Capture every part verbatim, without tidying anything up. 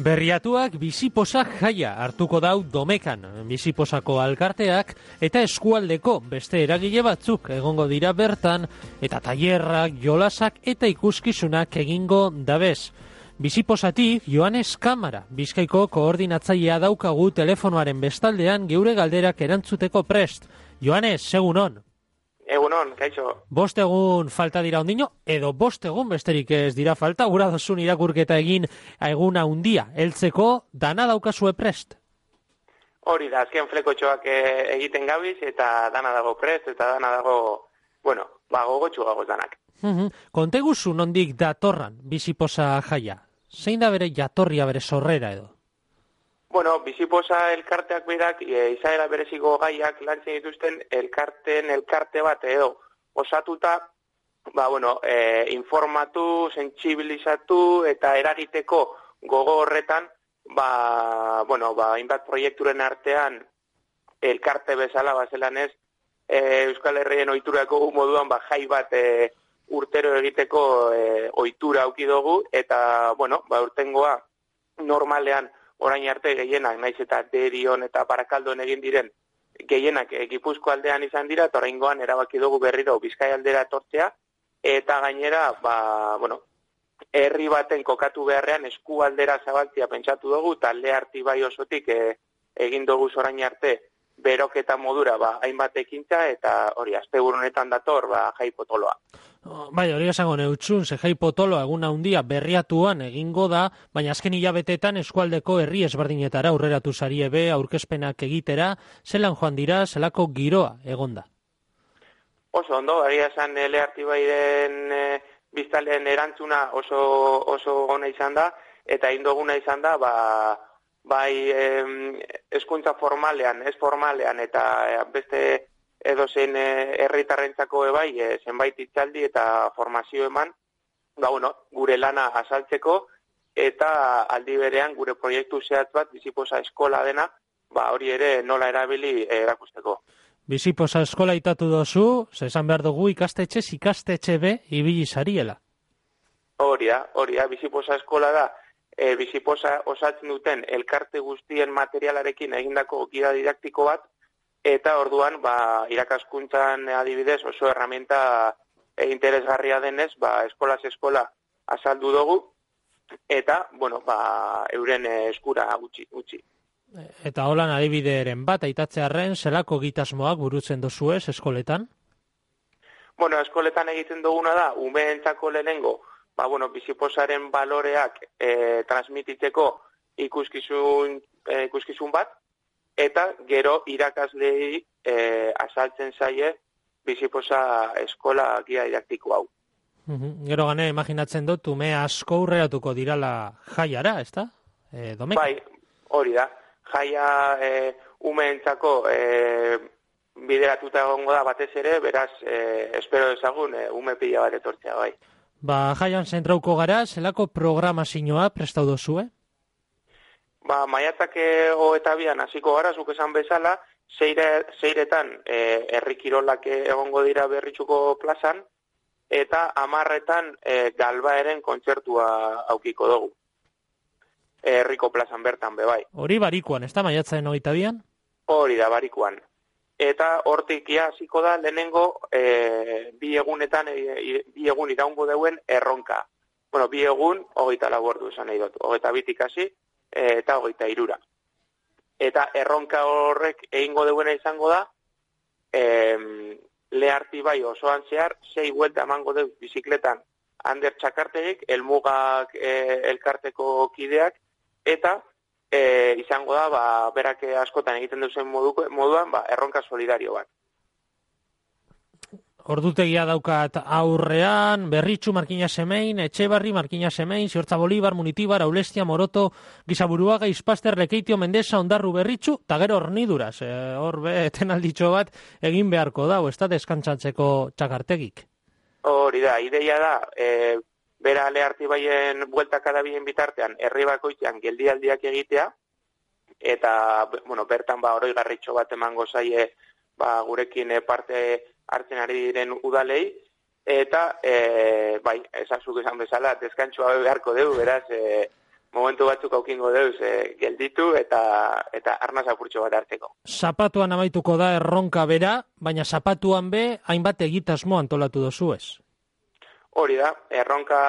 Berriatuak biziposa jaia hartuko dau Domekan, biziposako alkarteak eta eskualdeko beste eragile batzuk egongo dira bertan, eta tailerrak, jolasak eta ikuskizunak egingo dabez. Biziposatik Joanes Kamara, Bizkaiko koordinatzailea daukagu telefonoaren bestaldean geure galderak erantzuteko prest. Joanes, segunon. Egunon, kaixo. Bost egun falta dira ondino, edo bost egun besterik ez dira falta, gura dozun irakurketa egin eguna hundia, heltzeko dana daukazue prest? Hori da, azken flekotxoak egiten gabiz, eta dana dago prest, eta dana dago, bueno, ba, gogotxu gagoz danak. Uh-huh. Konteguzu nondik datorran biziposa jaia? Zein da bere jatorria, bere sorrera edo? Bueno, biziposa elkarteak berak, e, izaera bereziko gaiak lantzen dituzten elkarten elkarte bat edo osatuta, ba, bueno, e, informatu, sentsibilizatu eta eragiteko gogo horretan, ba, bueno, ba, hainbat proiekturen artean elkarte bezala bazelan ez, e, Euskal Herrien ohiturako moduan ba, jai bat e, urtero egiteko e, ohitura auki dugu, eta, bueno, ba, urtengoa normalean orain arte gehienak, naiz eta Derion eta Barakaldon egin diren gehienak e, Gipuzko aldean izan dira, eta oraingoan erabaki dugu berriro Bizkai aldera etortzea, eta gainera, ba, bueno, herri baten kokatu beharrean eskualdera zabaltzea pentsatu dugu, talde artibai osotik e, egin dugu orain arte beroketa modura, ba, hainbat ekintza, eta hori, asteburu honetan dator, ba, jai potoloa. Bai, hori esango neutxun, ze jai potoloa eguna handia berriatuan egingo da, baina azken hilabetetan eskualdeko herri ezberdinetara aurreratu zarie be, aurkezpenak egitera, zelan joan dira, zelako giroa egonda? Oso ondo, egia esan ele artibairen e, biztalen erantzuna oso, oso ona izan da, eta indoguna izan da, ba, bai hezkuntza formalean, ez formalean, eta beste edozein herritarrentzako ebai, e, zenbait hitzaldi eta formazio eman, ba, bueno, gure lana azaltzeko, eta aldi berean gure proiektu zehatz bat, biziposa eskola dena, ba, hori ere nola erabili erakusteko. Biziposa eskola itatu dozu, esan behar dugu ikastetxez ikastetxe be ibili zariela. Hori da, hori da, biziposa eskola da, e, biziposa osatzen duten elkarte guztien materialarekin egindako gida didaktiko bat, eta orduan, ba, irakaskuntzan adibidez oso herramienta e, interesgarria denez, ba, eskolaz eskola azaldu dugu, eta, bueno, ba, euren eskura gutxi, gutxi. Eta holan adibideren bat, aitatzearren, zelako gitasmoak burutzen dozuez eskoletan? Bueno, eskoletan egiten duguna da, umeentzako lehenengo, ba, bueno, biziposaren baloreak e, transmititzeko ikuskizun, e, ikuskizun bat, eta gero irakaslei e, azaltzen zaie biziposa eskola gia didaktiko hau. Uhum. Gero gane, imaginatzen dut, ume asko urreratuko dirala jaiara, ezta? E, Domeka? Bai, hori da. Jaia e, umeentzako e, bideratuta egongo da batez ere, beraz, e, espero ezagun e, ume pila bat etortzea, bai. Ba, jaian zentrauko gara, zelako programazioa prestau dozue? Ba, maiatzak hogeita bian hasiko gara, zuk esan bezala, zeire, zeiretan e, herri kirolak egongo dira Berritxuko plazan, eta hamarretan e, Galbaeren kontzertua aukiko dugu. E, herriko plazan bertan be bai. Hori barikuan, ez da maiatzaren hogeita bian? Hori da, barikuan. Eta hortik ia hasiko da lehenengo e, bi egunetan, e, bi egun iraungo deuen erronka. Bueno, bi egun, hogeita lau ordu esan nahi dut, hogeita bitik hasi, eta hogeita hirura. Eta erronka horrek egingo duena izango da, em, leharti bai osoan zehar, sei buelta emango du bizikletan Ander Txakartegik, elmugak e, elkarteko kideak, eta e, izango da, ba, berak askotan egiten duzen moduko, moduan, ba, erronka solidario bat. Ordutegia daukat aurrean, Berritxu, Markina Semein, Etxebarri, Markina Semein, Ziortza Bolibar, Munitibar, Aulestia, Moroto, Gizaburuaga, Izpaster, Lekeitio, Mendesa, Ondarru, Berritxu, eta gero horniduraz. E, hor be, etenalditxo bat egin beharko da, ez da deskantzatzeko Txakartegik. Hori da, ideia da, e, bera leharti baien bueltak adabien bitartean, herri bakoitzean geldialdiak egitea, eta, bueno, bertan ba, oroi garritxo bat emango zaie, ba, gurekin parte hartzen ari diren udalei, eta, e, bai, esazuk esan bezala, deskantxoa beharko dugu, beraz, e, momentu batzuk aukingo deuz e, gelditu eta eta arnaz apurtxo bat hartzeko. Zapatuan amaituko da erronka bera, baina zapatuan be hainbat egitasmo antolatu dozu ez? Hori da, erronka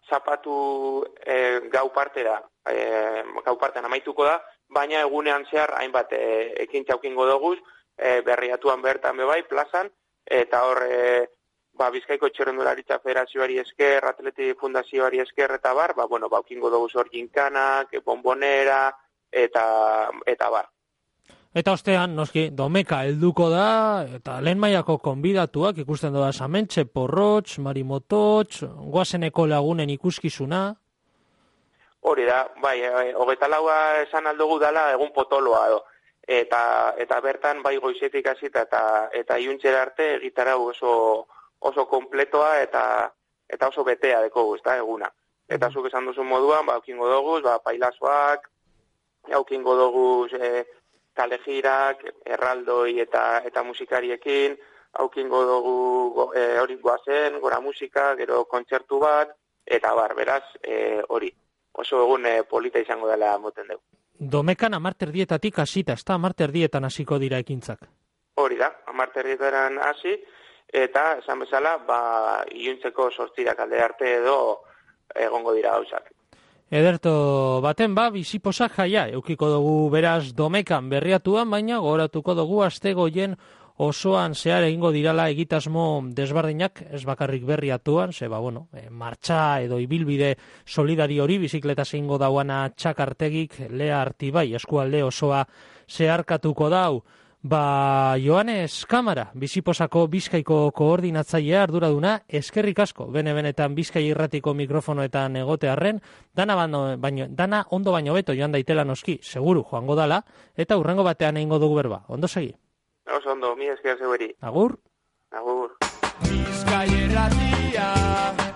zapatu e, gau partera, e, gau partean amaituko da, baina egunean zehar hainbat e, ekintza aukingo doguz, e, berriatuan bertan bebai, plazan, eta hor e, ba, Bizkaiko Txirrindularitza Federazioari esker, Atleti Fundazioari esker eta bar, ba, bueno, ba, aukingo doguz hor ginkanak, bombonera, eta, eta bar. Eta ostean, noski, Domeka helduko da, eta lehen mailako konbidatuak, ikusten doda Samentxe, Porrotx, Marimototx, goazeneko lagunen ikuskizuna. Hori da, bai, e, hogeita laua esan aldugu dala egun potoloa edo. Eta, eta bertan, bai, goizetik hasita eta eta iuntzera arte egitarau oso oso kompletoa eta eta oso betea dekogu, ezta, eguna. Eta zuk esan duzun moduan, ba, aukingo doguz, ba, pailazoak, aukingo doguz e, kalejirak, erraldoi eta eta musikariekin, aukingo dugu e, hori goazen, gora musika, gero kontzertu bat, eta bar, beraz, e, hori, oso egun e, polita izango dela moten dugu. Domekan amarter dietatik hasita, ez da amarter dietan hasiko dira ekintzak? Hori da, amarter dietan hasi, eta esan bezala, ba, iluntzeko sortzirak alde arte edo egongo dira gauzak. Ederto baten ba, biziposak jaia, eukiko dugu beraz Domekan berriatuan, baina gogoratuko dugu astegoien osoan zehar egingo dirala egitasmo desberdinak, ez bakarrik berriatuan, ze ba, bueno, e, martxa edo ibilbide solidari hori, bizikleta zeingo dauana txakartegik, Lea Artibai, eskualde osoa zeharkatuko dau. Ba, Joanes Kamara, Biziposako Bizkaiko koordinatzailea arduraduna, eskerrik asko, bene-benetan Bizkai irratiko mikrofonoetan egotearren, dana, baino, dana ondo baino beto joan daitela noski, seguru joango dala, eta hurrengo batean egingo dugu berba. Ondo segi? Oso ondo, mi esker zeueri. Agur? Agur. Bizkai irratia.